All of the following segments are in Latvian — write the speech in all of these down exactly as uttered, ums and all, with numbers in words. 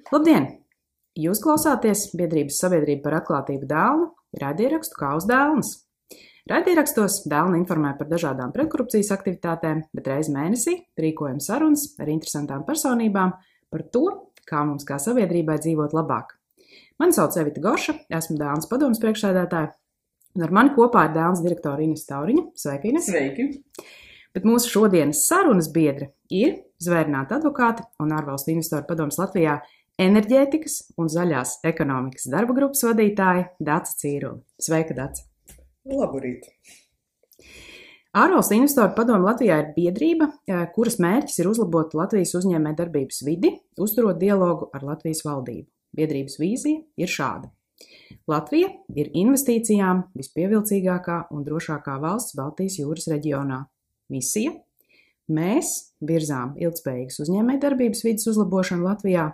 Labdien! Jūs klausāties biedrības Sabiedrība par atklātību Dēlnu raidierakstu Kā uz Dēlnes. Raidierakstos Dēlna informē par dažādām pretkorupcijas aktivitātēm, bet reizi mēnesī rīkojam sarunas ar interesantām personībām par to, kā mums kā sabiedrībai dzīvot labāk. Mani sauc Evita Gorša, esmu Dēlnas padomes priekšsēdētāja, un ar mani kopā ir Dēlnas direktora Ines Tauriņa. Sveiki, Ines! Sveiki! Bet mūsu šodienas sarunas biedri ir zvērināti advokāti un ārvalstu investoru padomes Latvijā enerģētikas un zaļās ekonomikas darba grupas vadītāja Dace Cīrule. Sveika, Dace! Laburīt! Ārvalstu investoru padome Latvijā ir biedrība, kuras mērķis ir uzlabot Latvijas uzņēmējdarbības vidi, uzturot dialogu ar Latvijas valdību. Biedrības vīzija ir šāda. Latvija ir investīcijām vispievilcīgākā un drošākā valsts Baltijas jūras reģionā. Misija – mēs virzām ilgspējīgas uzņēmējdarbības vides uzlabošanu Latvijā.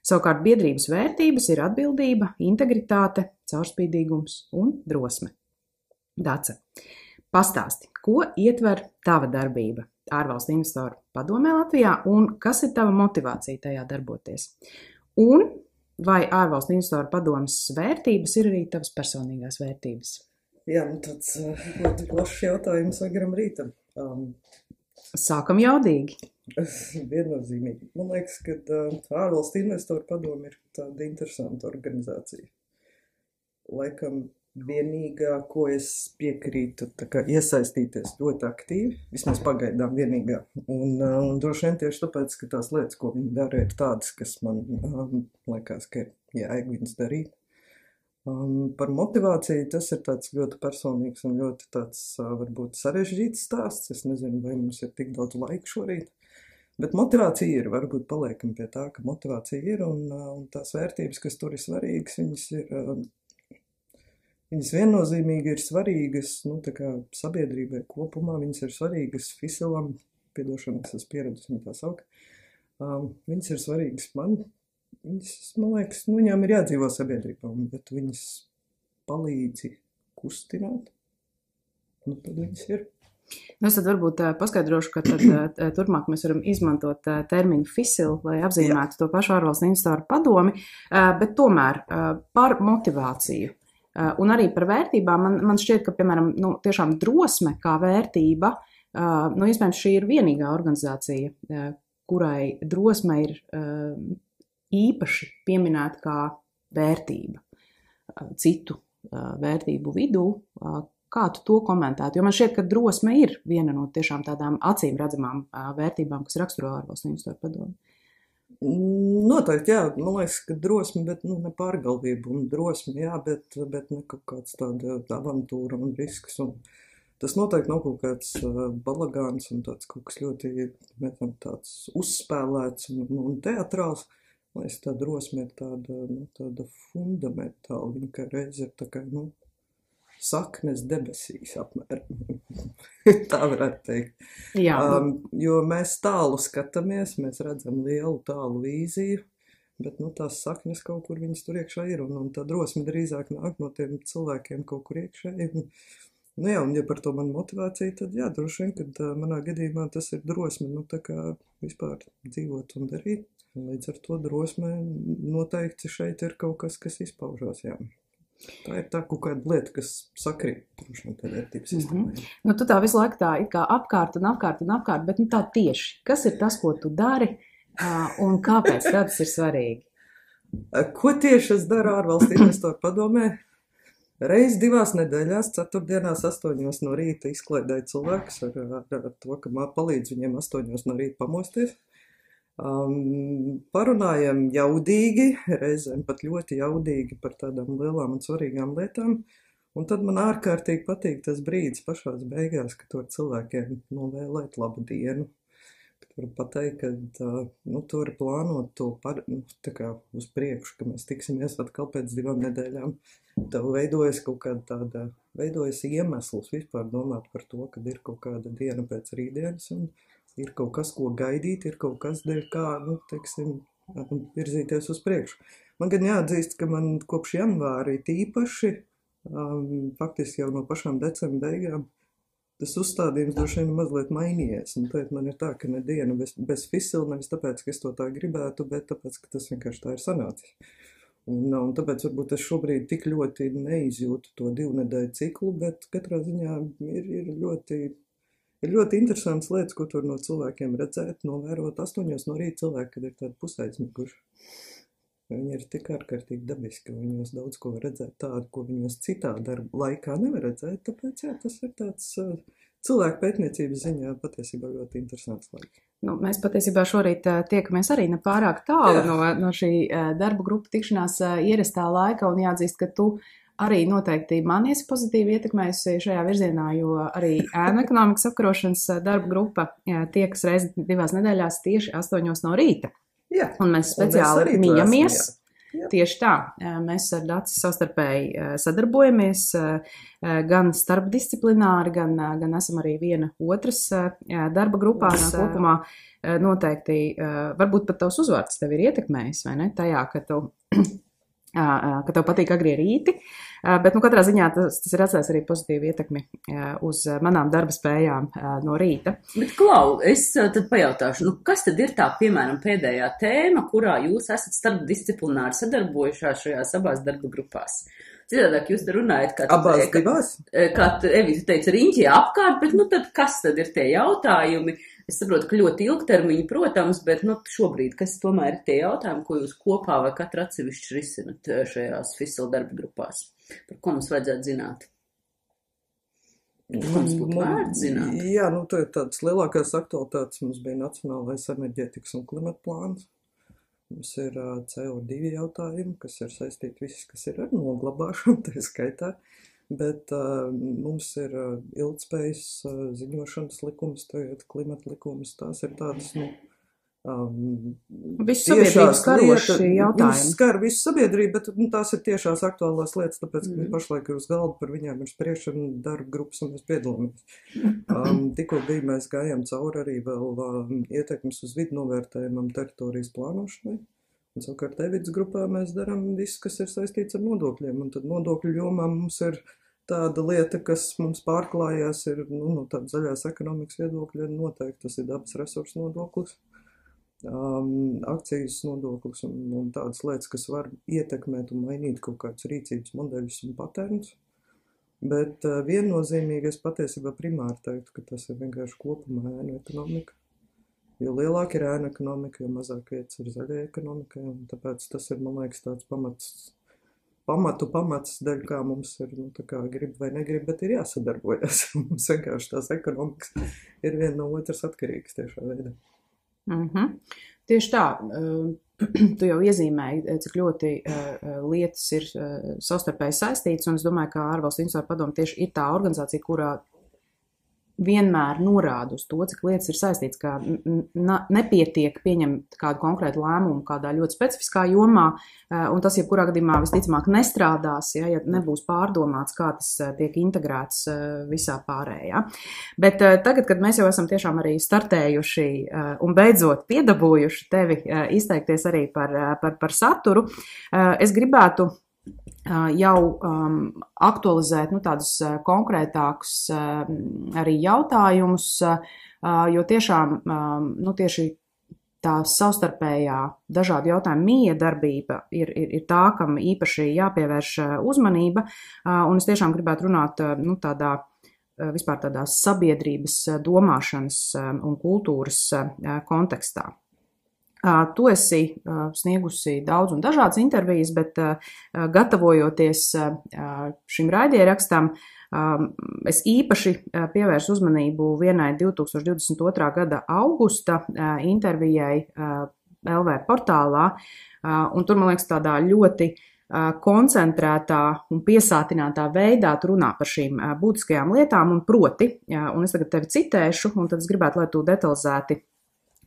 Savukārt biedrības vērtības ir atbildība, integritāte, caurspīdīgums un drosme. Dace, pastāsti, ko ietver tava darbība ārvalstu investoru padomē Latvijā un kas ir tava motivācija tajā darboties? Un vai ārvalstu investoru padomes vērtības ir arī tavas personīgās vērtības? Jā, nu tāds ļoti plašs jautājums agaram rītam. Um, Sākam jaudīgi. Viennozīmīgi. Man liekas, ka uh, ārvalstu investoru padome ir tāda interesanta organizācija. Laikam vienīgā, ko es piekrītu, tā kā iesaistīties ļoti aktīvi, vismaz pagaidām vienīgā. Un, uh, un droši vien tieši tāpēc, ka tās lietas, ko viņi dara, ir tādas, kas man um, liekas, ka ir jāieg viņas darīt. Um, par motivāciju tas ir tāds ļoti personīgs un ļoti tāds uh, varbūt sarežģīts stāsts. Es nezinu, vai mums ir tik daudz laika šorīt, bet motivācija ir, varbūt paliekam pie tā, ka motivācija ir un, uh, un tās vērtības, kas tur ir svarīgas, viņas ir, uh, viņas viennozīmīgi ir svarīgas, nu, tā kā sabiedrībai kopumā, viņas ir svarīgas Fisilam, piedošana, es esmu pieredzis viņu tā saukt, um, viņas ir svarīgas man. Viņas, man liekas, nu, viņām ir jādzīvo sabiedrībām, bet viņas palīdzi kustināt, nu, tad viņas ir. Nu, es tad varbūt paskaidrošu, ka tad turpmāk mēs varam izmantot terminu Fisil, lai apzīmētu to pašu ārvalstu investoru padomi, bet tomēr par motivāciju un arī par vērtībām man, man šķiet, ka, piemēram, nu, tiešām drosme kā vērtība, nu, iespējams, šī ir vienīgā organizācija, kurai drosme ir īpaši pieminēt kā vērtība citu vērtību vidū. Kā tu to komentētu? Jo man šķiet, ka drosme ir viena no tiešām tādām acīm redzamām vērtībām, kas raksturo ārvalstu investoru padomi. Noteikti, jā. Man liekas, ka drosme, bet nu, ne pārgalvība. Un drosme, jā, bet, bet ne kaut kāds tāda avantūra un risks. Un tas noteikti nav kaut kāds balagāns un tāds kaut kas ļoti netam, tāds uzspēlēts un, un teatrāls. Man liekas, tā drosme ir tāda, nu, tāda fundamentāla, viņa kā reiz ir tā kā, nu, saknes debesīs apmēram. Tā varētu teikt. Jā. Um, jo mēs tālu skatāmies, mēs redzam lielu tālu vīziju, bet, nu, tās saknes kaut kur viņas tur iekšā ir, un, un tā drosme drīzāk nāk no tiem cilvēkiem kaut kur iekšā. Un, nu jā, un ja par to man motivācija, tad jā, droši vien, kad uh, manā gadījumā tas ir drosme, nu, tā kā vispār dzīvot un darīt. Līdz ar to drosmē noteikti šeit ir kaut kas, kas izpaužās, jā. Tā ir tā kaut kāda lieta, kas sakrīt, droši vien, tā vērtības sistēmā. Mm-hmm. Nu, tu tā visu laiku tā it kā apkārt un apkārt un apkārt, bet nu tā tieši. Kas ir tas, ko tu dari un kāpēc tas ir svarīgi? Ko tieši es daru ārvalstu investoru padomē? Reiz divās nedēļās, ceturtdienās astoņos no rīta izklaidēju cilvēkus ar, ar, ar to, ka man palīdz viņiem astoņos no rīta pamosties. Um, parunājam jaudīgi, reizēm pat ļoti jaudīgi par tādām lielām un svarīgām lietām, un tad man ārkārtīgi patīk tas brīdis pašās beigās, ka to cilvēkiem novēlēt labu dienu. Tur pateikt, ka uh, nu, tur plānot to par, nu, tā kā uz priekšu, ka mēs tiksimies atkal pēc divām nedēļām. Tev veidojas kaut kāda tāda, veidojas iemesls vispār domāt par to, kad ir kaut kāda diena pēc rītdienas, un ir kaut kas, ko gaidīt, ir kaut kas, dēļ kā, nu, teiksim, virzīties uz priekšu. Man gan jāatzīst, ka man kopš janvāri tīpaši, um, faktiski jau no pašām decembra beigām, tas uzstādījums droši vien mazliet mainījies. Un tad man ir tā, ka ne diena bez, bez fisila, nevis tāpēc, ka es to tā gribētu, bet tāpēc, ka tas vienkārši tā ir sanācis. Un, un tāpēc varbūt es šobrīd tik ļoti neizjūtu to divu nedēļu ciklu, bet katrā ziņā ir, ir ļoti... Ir ļoti interesants lietas, ko tur no cilvēkiem redzēt, novērot astoņos no rīta cilvēki, kad ir tādi pusaizmiguši. Viņi ir tik ārkārtīgi dabiski, un viņos daudz ko var redzēt tādu, ko viņos citā darba laikā nevar redzēt, tāpēc jā, tas ir tāds uh, cilvēku pētniecības ziņā patiesībā ļoti interesants laiks. Nu, mēs patiesībā šorīt uh, tiekamies arī ne pārāk tālu no, no šī uh, darba grupa tikšanās uh, ierastā laika, un jāatzīst, ka tu arī noteikti man esi pozitīvi ietekmējusi šajā virzienā, jo arī ēnu ekonomikas apkarošanas darba grupa tiekas reizi divās nedēļās tieši astoņos no rīta. Jā, un mēs speciāli un mēs mījamies. Jā. Jā. Tieši tā. Mēs ar Daci savstarpēji sadarbojamies gan starpdisciplināri, gan, gan esam arī viena otras darba grupās kopumā. Noteikti, varbūt pat tavs uzvārds tev ir ietekmējis, vai ne? Tajā, ka tu... ka tev patīk agrie rīti, bet nu katrā ziņā tas, tas ir atstājis arī pozitīvu ietekmi uz manām darba spējām no rīta. Bet, Klau, es tad pajautāšu, nu kas tad ir tā, piemēram, pēdējā tēma, kurā jūs esat starpdisciplināri sadarbojušās šajās abās darba grupās? Citādāk jūs te runājat, kā, abās kā, kā Evita teica, riņķi apkārt, bet nu tad kas tad ir tie jautājumi? Es saprotu, ka ļoti ilgtermiņi, protams, bet nu, šobrīd, kas tomēr ir tie jautājumi, ko jūs kopā vai katru atsevišķi risinat šajās fisila darba grupās? Par ko mums vajadzētu zināt? Ko mums būtu vērts zināt? Jā, nu, tā ir tādas lielākās aktualitātes. Mums bija Nacionālais enerģētikas un klimata plāns. Mums ir C O divi jautājumi, kas ir saistīti viss, kas ir ar noglabāšanu, tā skaitā. Bet uh, mums ir uh, ilgtspējas uh, ziņošanas likums, tagad klimata likums, tās ir tādas, nu, um, visu sabiedrības karoši jautājumi. Viņas skar visu sabiedrību, bet nu, tās ir tiešās aktuālās lietas, tāpēc, ka mm. pašlaik ir uz galda par viņām ir spriešana darba grupas un mēs piedalāmies. Um, tikko bija, mēs gājām cauri arī vēl um, ietekmes uz vidu novērtējumam teritorijas plānošanai. Un savukārt Evitas grupā mēs darām visu, kas ir saistīts ar nodokļiem, un tad nodokļu jomā mums ir tāda lieta, kas mums pārklājās, ir nu, no tāda zaļās ekonomikas viedokļa noteikti, tas ir dabas resursu nodoklis, um, akcijas nodoklis un, un tādas lietas, kas var ietekmēt un mainīt kaut kādus rīcības modeļus un patērnus. Bet uh, viennozīmīgi es patiesībā primāri teiktu, ka tas ir vienkārši kopumā ēnu ekonomika. Jo lielāka ir ēna ekonomika, jo mazāk vietas ir zaļai ekonomikai, un tāpēc tas ir, man liekas, tāds pamats, pamatu pamats dēļ, kā mums ir, nu, tā kā grib vai negrib, bet ir jāsadarbojas. Mums vienkārši tās ekonomikas ir viena no otras atkarīgas tiešā veidā. Mm-hmm. Tieši tā, tu jau iezīmēji, cik ļoti lietas ir savstarpēji saistītas, un es domāju, ka ārvalstu investoru padome tieši ir tā organizācija, kurā vienmēr norāda uz to, cik lietas ir saistīts, ka nepietiek pieņemt kādu konkrētu lēmumu kādā ļoti specifiskā jomā, un tas jebkurā gadījumā visticamāk nestrādās, ja, ja nebūs pārdomāts, kā tas tiek integrēts visā pārējā. Bet tagad, kad mēs jau esam tiešām arī startējuši un beidzot piedabūjuši tevi izteikties arī par, par, par saturu, es gribētu jau um, aktualizēt nu, tādus uh, konkrētākus uh, arī jautājumus, uh, jo tiešām um, nu, tieši tā savstarpējā dažādu jautājumu miedarbība ir, ir, ir tā, kam īpaši jāpievērš uzmanība, uh, un es tiešām gribētu runāt uh, nu, tādā uh, vispār tādā sabiedrības domāšanas uh, un kultūras uh, kontekstā. Tu esi sniegusi daudz un dažādas intervijas, bet gatavojoties šim raidījumrakstam, es īpaši pievērsu uzmanību vienai divi tūkstoši divdesmit otrā gada augusta intervijai L V portālā, un tur, man liekas, tādā ļoti koncentrētā un piesātinātā veidā tu runā par šīm būtiskajām lietām, un proti, un es tagad tevi citēšu, un tad es gribētu, lai tu detalizēti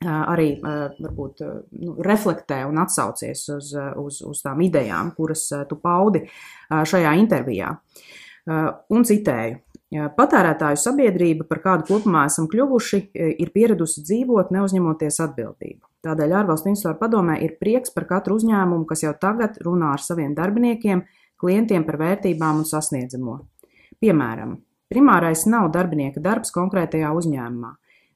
arī varbūt nu, reflektē un atsaucies uz, uz, uz tām idejām, kuras tu paudi šajā intervijā. Un citēju, patērētāju sabiedrība, par kādu kopumā esam kļuvuši, ir pieradusi dzīvot, neuzņemoties atbildību. Tādēļ ārvalstu investoru padomē ir prieks par katru uzņēmumu, kas jau tagad runā ar saviem darbiniekiem, klientiem par vērtībām un sasniedzamo. Piemēram, Primārais nav darbinieka darbs konkrētajā uzņēmumā.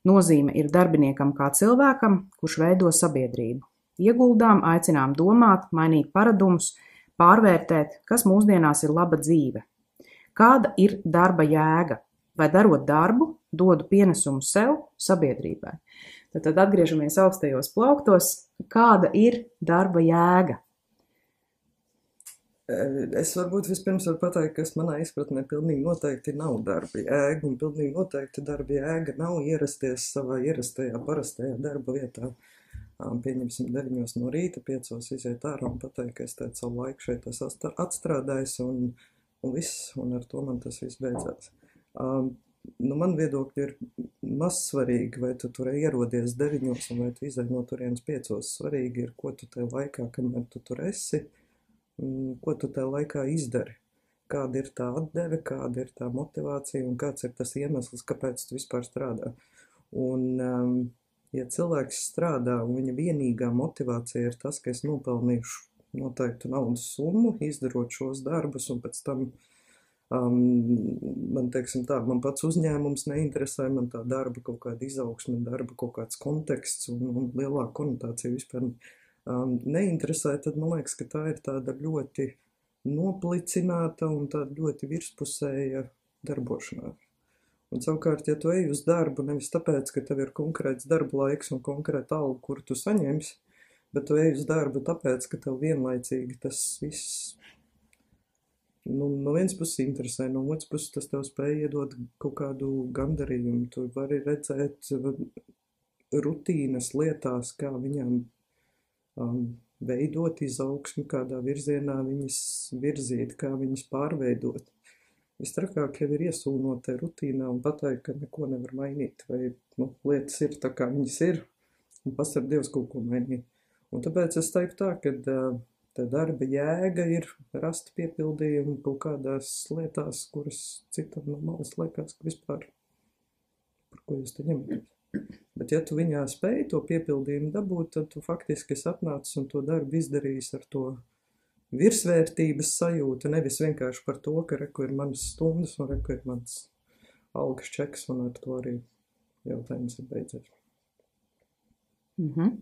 Nozīme ir darbiniekam kā cilvēkam, kurš veido sabiedrību. Ieguldām, aicinām domāt, mainīt paradumus, pārvērtēt, kas mūsdienās ir laba dzīve. Kāda ir darba jēga? Vai darot darbu, dodu pienesumu sev, sabiedrībai? Tad, tad atgriežamies augstajos plauktos. Kāda ir darba jēga? Es varbūt vispirms varu pateikt, kas manā izpratnē pilnīgi noteikti nav darba jēga, un pilnīgi noteikti darba jēga nav ierasties savā ierastajā, parastajā darba vietā. Pieņemsim deviņos no rīta, piecos iziet ārā un pateikt, ka es teicu savu laiku šeit es atstrādājos, un, un viss, un ar to man tas viss beidzās. Um, nu, man viedokļi ir maz svarīgi, vai tu tur ierodies deviņos, un vai tu izai no turienes piecos. Svarīgi ir, ko tu tajā laikā, kamēr tu tur esi, ko tu tajā laikā izdari, kāda ir tā atdeve, kāda ir tā motivācija un kāds ir tas iemesls, kāpēc tu vispār strādā. Un, um, ja cilvēks strādā un viņa vienīgā motivācija ir tas, ka es nopelnīšu noteiktu naudas summu, izdarot šos darbus, un pēc tam um, man, teiksim tā, man pats uzņēmums neinteresē, man tā darba kaut kāda izaugsme, darba kaut kāds konteksts un, un lielāka konotācija vispār Um, neinteresē, tad man liekas, ka tā ir tāda ļoti noplicināta un tāda ļoti virspusēja darbošanās. Un savukārt, ja tu ej uz darbu nevis tāpēc, ka tev ir konkrēts darba laiks un konkrēta alga, kur tu saņemsi, bet tu ej uz darbu tāpēc, ka tev vienlaicīgi tas viss nu, no vienas puses interesē, no otras puses tas tev spēj iedot kaut kādu gandarījumu. Tu vari redzēt rutīnas lietās, kā viņām Um, veidot izaugsmi, kādā virzienā viņas virzīt, kā viņas pārveidot. Vistrakāk jau ir iesūnot te rutīnā un pateikt, ka neko nevar mainīt, vai nu, lietas ir tā, kā viņas ir, un pasarg Dievs kaut ko mainīt. Un tāpēc es teiktu tā, ka uh, tā darba jēga ir rast piepildījumu kaut kādās lietās, kuras citam no malas liekas, ka vispār par ko jūs te ņematies. Bet ja tu viņā spēj to piepildījumu dabūt, tad tu faktiski esi atnācis un to darbu izdarījis ar to virsvērtības sajūtu, nevis vienkārši par to, ka reku ir manas stundas un reku ir mans algas čeks, un ar to arī jautājums ir beidzies. Mhm.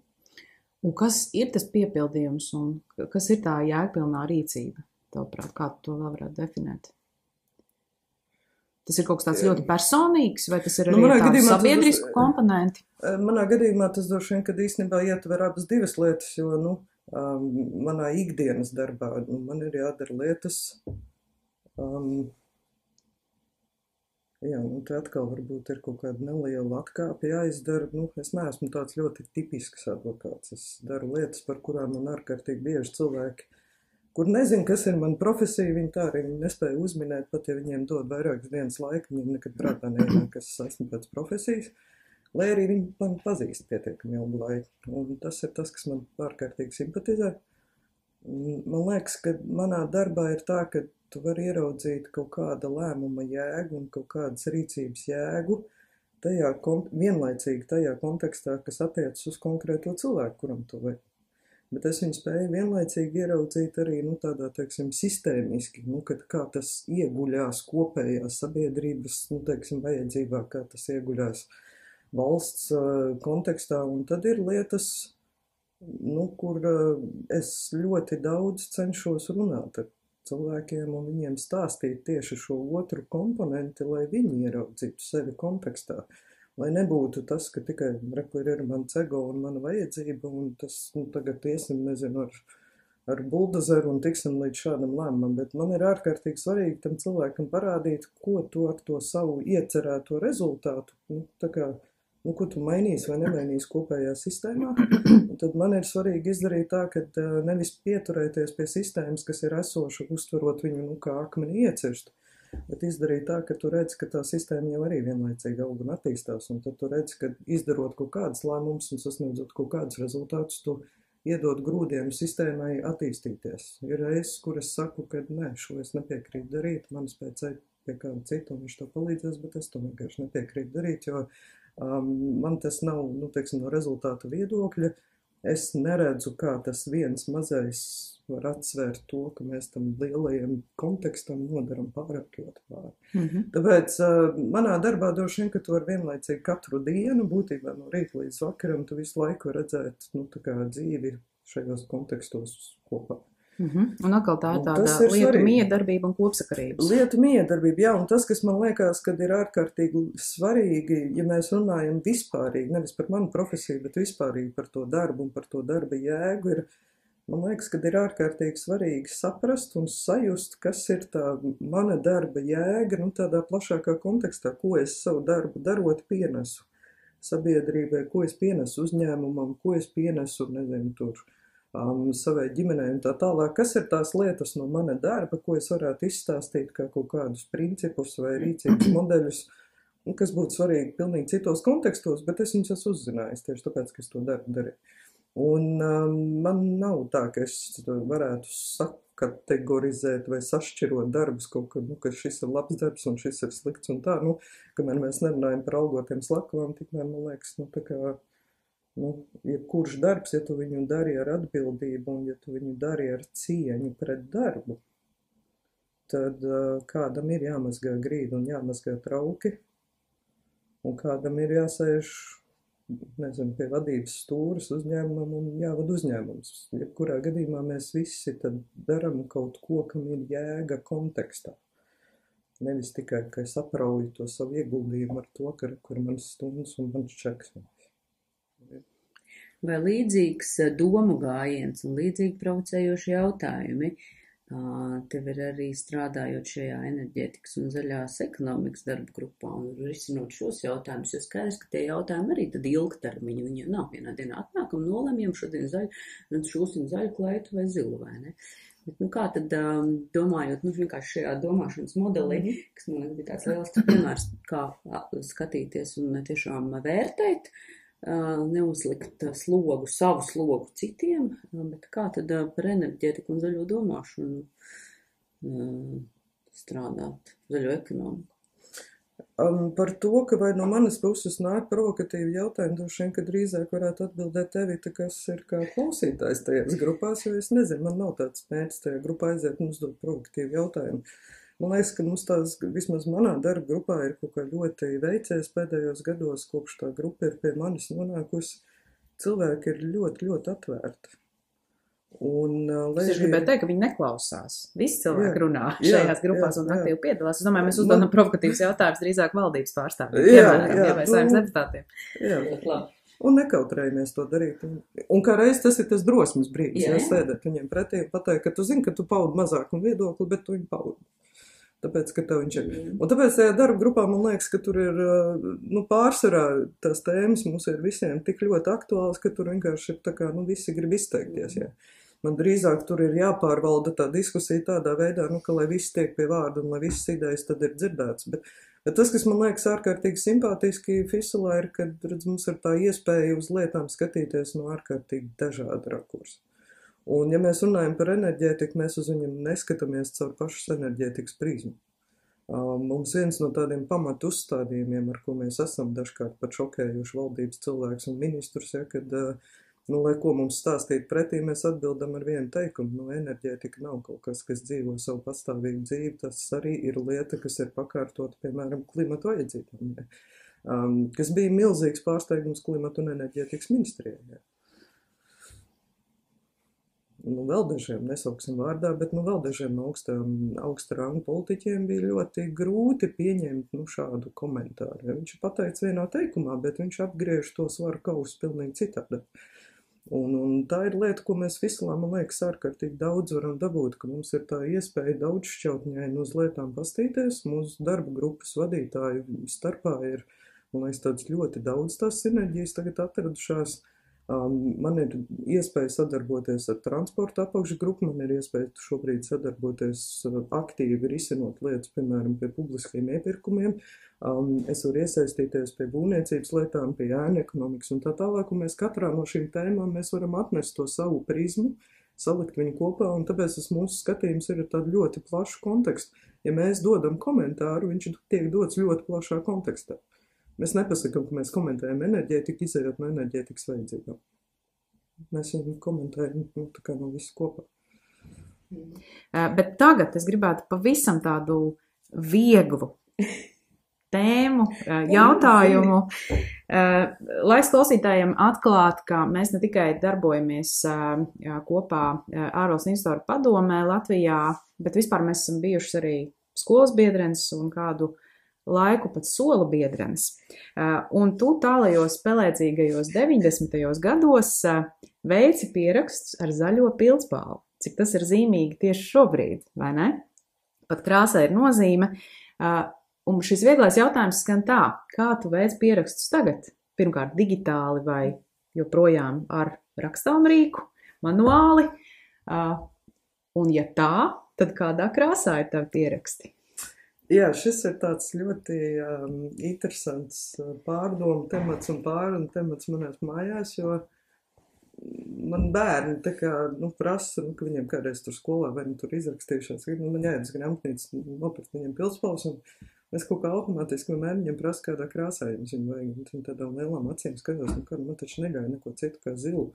Un kas ir tas piepildījums un kas ir tā jēgpilnā rīcība? Tavuprāt, kā tu to vēl varētu definēt? Tas ir kaut kas tāds ļoti personīgs, vai tas ir arī nu, tādu sabiedrisku tas, komponenti? Manā gadījumā tas droši vien, kad īstenībā ietver abas divas lietas, jo, nu, um, manā ikdienas darbā nu, man ir jādara lietas, um, jā, nu, te atkal varbūt ir kaut kāda neliela atkāpe jāizdara, nu, es neesmu tāds ļoti tipisks advokāts, es daru lietas, par kurām man ārkārtīgi bieži cilvēki, kur nezinu, kas ir mana profesija, viņi tā arī nespēja uzminēt, pat ja viņiem dod vairākas dienas laika, viņiem nekad prātā neienāk, kas es esmu pēc profesijas, lai arī viņi man pazīst pietiekami ilgu laiku. Un tas ir tas, kas man ārkārtīgi simpatizē. Man liekas, ka manā darbā ir tā, ka tu vari ieraudzīt kaut kāda lēmuma jēgu un kaut kādas rīcības jēgu tajā, vienlaicīgi tajā kontekstā, kas attiecas uz konkrēto cilvēku, kuram tu vajag. Bet es viņu spēju vienlaicīgi ieraudzīt arī, nu, tādā, teiksim, sistēmiski, nu, kad kā tas ieguļās kopējās sabiedrības, nu, teiksim, vajadzībā, kā tas ieguļās valsts uh, kontekstā, un tad ir lietas, nu, kur uh, es ļoti daudz cenšos runāt ar cilvēkiem un viņiem stāstīt tieši šo otru komponenti, lai viņi ieraudzītu sevi kontekstā. Lai nebūtu tas, ka tikai rekur ir mans ego un mana vajadzība, un tas, nu, tagad iesim, nezinu, ar, ar buldozeru un tiksim līdz šādam lēmumam, bet man ir ārkārtīgi svarīgi tam cilvēkam parādīt, ko tu ar to savu iecerēto rezultātu, nu, tā kā, nu, ko tu mainīsi vai nemainīsi kopējā sistēmā, un tad man ir svarīgi izdarīt tā, ka nevis pieturēties pie sistēmas, kas ir esoša, uztverot viņu, nu, kā akmeni iecirst, bet izdarīt tā, ka tu redzi, ka tā sistēma jau arī vienlaicīgi aug un attīstās, un tad tu redzi, ka izdarot kaut kādas lēmumus un sasniedzot kaut kādus rezultātus, tu iedod grūdiem sistēmai attīstīties. Ir reizes, kur es saku, ka nē, šo es nepiekrītu darīt, man spēc eit pie kāda cita, un viņš to palīdzēs, bet es to vienkārši nepiekrītu darīt, jo um, man tas nav, nu, teiksim, no rezultātu viedokļa, es neredzu, kā tas viens mazais var atsvērt to, ka mēs tam lielajam kontekstam nodaram pārāk ļoti pāri. Mhm. Tāpēc uh, manā darbā droši vien, ka tu vari vienlaicīgi katru dienu, būtībā no rīta līdz vakaram, tu visu laiku redzēt, nu, tā kā dzīvi šajos kontekstos kopā. Mhm. Un atkal tā ir Un tāda tas ir lietu svarīgi. miedarbība un kopsakarības. Lietu miedarbība, jā, un tas, kas man liekas, kad ir ārkārtīgi svarīgi, ja mēs runājam vispārīgi, nevis par manu profesiju, bet vispārīgi par to darbu un par to darba jēgu, ir, man liekas, kad ir ārkārtīgi svarīgi saprast un sajust, kas ir tā mana darba jēga, nu tādā plašākā kontekstā, ko es savu darbu darot pienesu sabiedrībai, ko es pienesu uzņēmumam, ko es pienesu, nezinu, tur, Um, savai ģimenei un tā tālāk, kas ir tās lietas no mana darba, ko es varētu izstāstīt kā kaut kādus principus vai rīcības modeļus, kas būtu svarīgi pilnīgi citos kontekstos, bet es viņus esmu uzzinājis tieši tāpēc, ka es to darbu darīju. Un um, man nav tā, ka es varētu sakategorizēt vai sašķirot darbus kaut kad, nu, ka šis ir labs darbs un šis ir slikts un tā, nu, kamēr mēs nerunājam par algotiem slakavām, tikmēr, man liekas, nu, tā kā Nu, jebkurš darbs, ja tu viņu dari ar atbildību un ja tu viņu dari ar cieņu pret darbu, tad uh, kādam ir jāmazgā grīdi un jāmazgā trauki, un kādam ir jāsēž, nezinu, pie vadības stūras uzņēmumam un jāvad uzņēmums. Jebkurā gadījumā mēs visi tad daram kaut ko, kam ir jēga kontekstā. Nevis tikai, ka es aprauju to savu ieguldījumu ar to, ka kur manas stundas un mans čeks. Vai līdzīgs domu gājiens un līdzīgi provocējoši jautājumi tev ir arī strādājot šajā enerģētikas un zaļās ekonomikas darba grupā un risinot šos jautājumus, jo skaidrs, ka tie jautājumi arī tad ilgtermiņa, viņi nav vienā dienā atnākam, nolemjam šodien zaļu, un šūsim zaļu klaitu vai zilu, vai ne? Bet, nu, kā tad domājot, nu, vienkārši šajā domāšanas modelī, mm-hmm. kas man bija tāds liels piemērs, kā skatīties un tiešām vērtēt, neuzlikt slogu, savu slogu citiem, bet kā tad par enerģētiku un zaļo domāšanu strādāt, zaļo ekonomiku? Um, par to, ka vai no manas puses nāk provokatīvi jautājumi, droši vien, ka drīzāk varētu atbildēt tevi, kas ir kā klausītājs tajās grupās, jo es nezinu, man nav tāds mērķis tajā grupā aiziet un uzdot provokatīvu jautājumu. Man liekas, ka mums tās, vismaz manā darba grupā, ir kaut kā ļoti veicies pēdējos gados, kopš tā grupa ir pie manis nonākusi. Cilvēki ir ļoti, ļoti atvērti. Un, es ir... gribētu teikt, ka viņi neklausās. Visi cilvēki jā, runā šajās jā, grupās jā, un aktīvi piedalās. Es domāju, mēs uzdodam man... provokatīvas jautājumus drīzāk valdības pārstāvjiem, piemēram, jā, vai saimnes deputātiem. Jā, jā. Un nekautrējamies to darīt. Un, un kā reiz tas ir tas drosmes brīdis, jā, jā. Sēdēt viņiem pretī un pateikt, ka tu zini, ka tu paudi mazākumu viedokli, bet tu viņu paudi. Tāpēc, ka tev viņš ir. Un tāpēc tajā darba grupā man liekas, ka tur ir, nu, pārsvarā tās tēmas mums ir visiem tik ļoti aktuāls, ka tur vienkārši ir tā kā, nu, visi grib izteikties, jā. Man drīzāk tur ir jāpārvalda tā diskusija tādā veidā, nu, ka lai viss tiek pie vārda un lai visas idejas tad ir dzirdēts. Bet, bet tas, kas man liekas ārkārtīgi simpātiski Fisulā ir, kad, redz, mums ir tā iespēja uz lietām skatīties no ārkārtīgi dažāda rakursa. Un, ja mēs runājam par enerģētiku, mēs uz viņam neskatāmies caur pašas enerģētikas prizmu. Mums viens no tādiem pamatu uzstādījumiem, ar ko mēs esam dažkārt pat šokējuši valdības cilvēks un ministrus, ja, kad, nu, lai ko mums stāstīt pretī, mēs atbildam ar vienu teikumu. Nu, enerģētika nav kaut kas, kas dzīvo savu pastāvīgu dzīvi, tas arī ir lieta, kas ir pakārtota, piemēram, klimatu vajadzībām, ja. um, kas bija milzīgs pārsteigums klimatu un enerģētikas ministrijai. Ja. Nu, vēl dažiem, nesauksim vārdā, bet nu, vēl dažiem augstām, augsta ranga politiķiem bija ļoti grūti pieņemt nu, šādu komentāru. Ja viņš ir pateicis vienā teikumā, bet viņš apgriež to svaru kausu pilnīgi citādi. Un, un tā ir lieta, ko mēs Fisulā, man liekas, ārkārtīgi daudz varam dabūt, ka mums ir tā iespēja daudz šķautņaini uz lietām pastīties. Mūsu darba grupas vadītāju starpā ir, man liekas, tāds ļoti daudz tās sinerģijas tagad atradušās. Um, man ir iespēja sadarboties ar transporta apakšgrupu, man ir iespēja šobrīd sadarboties aktīvi risinot lietas, piemēram, pie publiskajiem iepirkumiem. Um, es varu iesaistīties pie būvniecības lietām, pie ēnu ekonomikas un tā tālāk, un mēs katrā no šīm tēmām mēs varam atnest to savu prizmu, salikt viņu kopā, un tāpēc tas mūsu skatījums ir tādu ļoti plašu kontekstu. Ja mēs dodam komentāru, viņš tiek dots ļoti plašā kontekstā. Mēs nepasakām, ka mēs komentējam enerģētiku, izējot no enerģētikas vajadzībām. mēs viņu komentējam, nu, tā kā no visu kopā. Bet tagad es gribētu pavisam tādu vieglu tēmu, jautājumu, lai klausītājiem atklāt, ka mēs ne tikai darbojamies kopā ārvalstu investoru padomē Latvijā, bet vispār mēs esam bijušas arī skolas biedrenes un kādu laiku pat sola biedrenes. Un tu tālajos pelēcīgajos deviņdesmitajos gados veici pierakstus ar zaļo pildspalvu. Cik tas ir zīmīgi tieši šobrīd, vai ne? Pat krāsai ir nozīme. Un šis vieglais jautājums skan tā, kā tu veic pierakstus tagad? Pirmkārt digitāli vai joprojām ar rakstāmrīku, manuāli? Un ja tā, tad kādā krāsā ir tavi pieraksti? Jā, šis ir tāds ļoti um, interesants pārdomu temats un pārunu temats manās mājās, jo man bērni tā kā, nu, prasa, nu, ka viņiem kādreiz tur skolā vai nu tur izrakstījušās, nu, man jāiet uz grāmatnīcu, nopirkt viņiem pildspalvas, un es kaut kā automātiski vienmēr viņiem prasu, kādā krāsā jums viņu vajag, un viņi tādām lielām acīm skatos, nu, kā, man taču negāja neko citu kā zilu.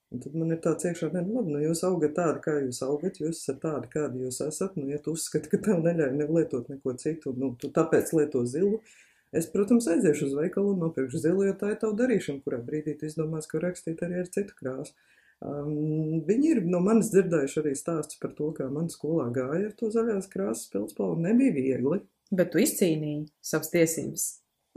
Un tad man ir tāds iekšā, ne, nu, labi, nu, jūs augat tādi, kā jūs augat, jūs esat tādi, kādi jūs esat, nu, ja tu uzskati, ka tev neļauj nelietot neko citu, nu, tu tāpēc lieto zilu, es, protams, aiziešu uz veikalu un nopirkšu zilu, jo tā ir tavu darīšana, kurā brīdī tu izdomās, ka rakstīt arī ar citu krāsu. Um, viņi ir no manis dzirdējuši arī stāstus par to, kā man skolā gāja ar to zaļās krāsas pildspalvu, nebija viegli. Bet tu izcīnīji savas tiesības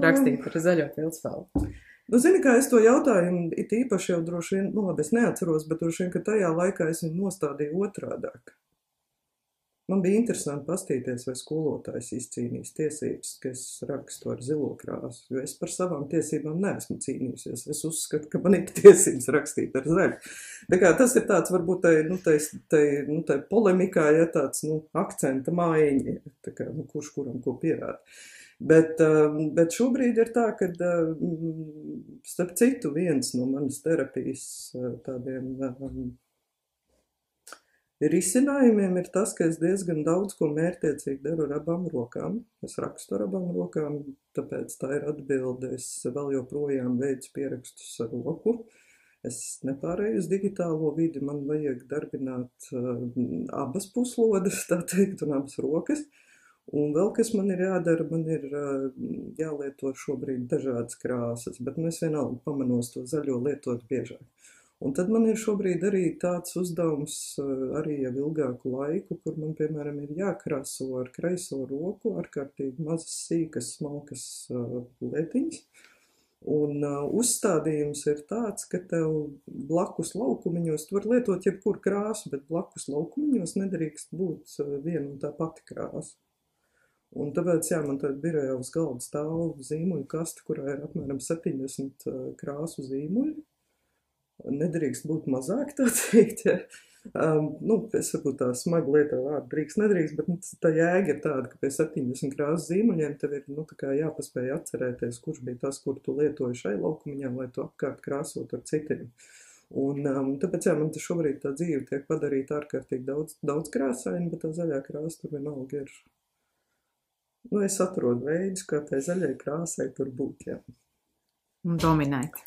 rakstīt ar zaļo pildspalvu. Nu, zini, kā es to jautājumu, it īpaši jau droši vien, nu labi, es neatceros, bet droši vien, ka tajā laikā es viņu nostādīju otrādāk. Man bija interesanti pastīties, vai skolotājs izcīnīs tiesības, ka es rakstu ar zilo krāsu, jo es par savām tiesībām neesmu cīnījusies. Es uzskatu, ka man ir tiesības rakstīt ar zaļu. Tā kā tas ir tāds, varbūt, tai, nu, tai, tai, nu, tai polemikā, ja tāds, nu, akcenta mājiņa, tā kā, nu, kurš kuram ko pierāda. Bet, bet šobrīd ir tā, ka, starp citu, viens no manas terapijas tādiem risinājumiem ir tas, ka es diezgan daudz ko mērķtiecīgi daru ar abām rokām. Es rakstu ar abām rokām, tāpēc tā ir atbilde. Es vēl joprojām veicu pierakstus ar roku. Es nepārēju uz digitālo vidi, man vajag darbināt abas puslodes, tā teikt, un abas rokas. Un vēl, kas man ir jādara, man ir jālieto šobrīd dažādas krāsas, bet es vienalga pamanos to zaļo lietot biežāk. Un tad man ir šobrīd arī tāds uzdevums arī jau ilgāku laiku, kur man, piemēram, ir jākrāso ar kreiso roku, ārkārtīgi mazas sīkas, smalkas lietiņas. Un uzstādījums ir tāds, ka tev blakus laukumiņos, tu var lietot jebkuru krāsu, bet blakus laukumiņos nedrīkst būt viena un tā pati krāsa. Un tāpēc, jā, man tāda birojā uz galda stāv zīmuļu kasta, kurā ir apmēram septiņdesmit krāsu zīmuļi. Nedrīkst būt mazāk, tā teikt, ja. Um, nu, es varbūt tā smagi lietā vārdu drīkst, nedrīkst, bet nu, tā jēga ir tāda, ka pie septiņdesmit krāsu zīmuļiem tev ir, nu, tā kā jāpaspēj atcerēties, kurš bija tas, kur tu lietoji šai laukumiņā, lai tu apkārt krāsot ar citiem. Un um, tāpēc, jā, man te šobrīd tā dzīve tiek padarīta ārkārtīgi daudz, daudz krāsaini, bet tā zaļā krāsa tur vienalga ir. Nu, es atrodu veidus, kā tai zaļai krāsai tur būt, jā. Un dominēt.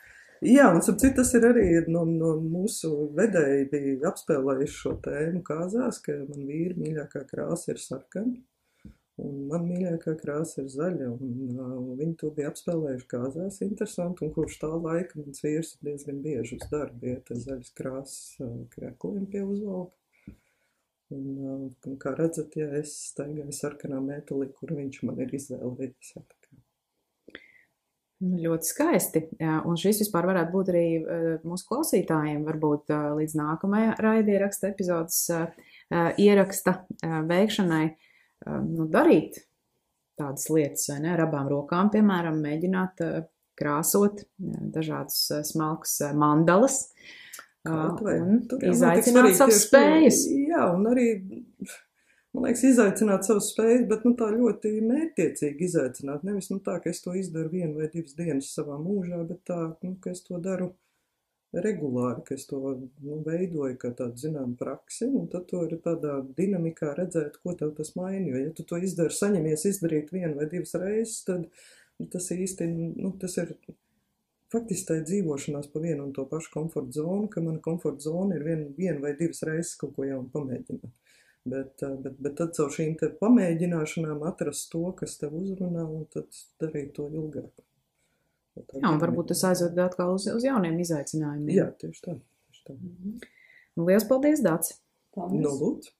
Jā, un ap citu tas ir arī no, no mūsu vedēji bija apspēlējuši šo tēmu kāzās, ka man vīri mīļākā krāsa ir sarkana, un man mīļākā krāsa ir zaļa, un uh, viņi to bija apspēlējuši kāzās, interesanti, un kurš tā laika mans vīrs ir diezgan bieži uz darbu, ja tā zaļas krāsas uh, krēkliem pie uzvalka. Un, un kā redzat, ja es staigāju sarkanā metālī, kur viņš man ir izvēlējies. Ļoti skaisti. Un šis vispār varētu būt arī mūsu klausītājiem, varbūt līdz nākamajai raidieraksta epizodes ieraksta veikšanai, nu, darīt tādas lietas, vai ne, ar abām rokām, piemēram, mēģināt krāsot dažādus smalkus mandalas. Vai, un izaicināt savas spējas. Jā, un arī, man liekas, izaicināt savas spējas, bet nu, tā ļoti mērķtiecīgi izaicināt. Nevis nu, tā, ka es to izdaru vienu vai divas dienas savā mūžā, bet tā, nu, ka es to daru regulāri, ka es to nu, veidoju kā tādu zinām praksi, un tad to ir tādā dinamikā redzēt, ko tev tas maina. Jo, ja tu to izdari, saņemies izdarīt vienu vai divas reizes, tad tas īsti, nu, tas ir faktiski tā ir dzīvošanās pa vienu un to pašu komforta zonu, ka mana komforta zona ir vien, vien vai divas reizes kaut ko jaunu pamēģināt. Bet, bet, bet tad caur šīm te pamēģināšanām atrast to, kas tev uzrunā, un tad darīt to ilgāk. Jā, un varbūt tas aizved atkal uz, uz jauniem izaicinājumiem. Jā, tieši tā. Tieši tā. Nu, liels paldies, Dāci! Nu, lūdzu!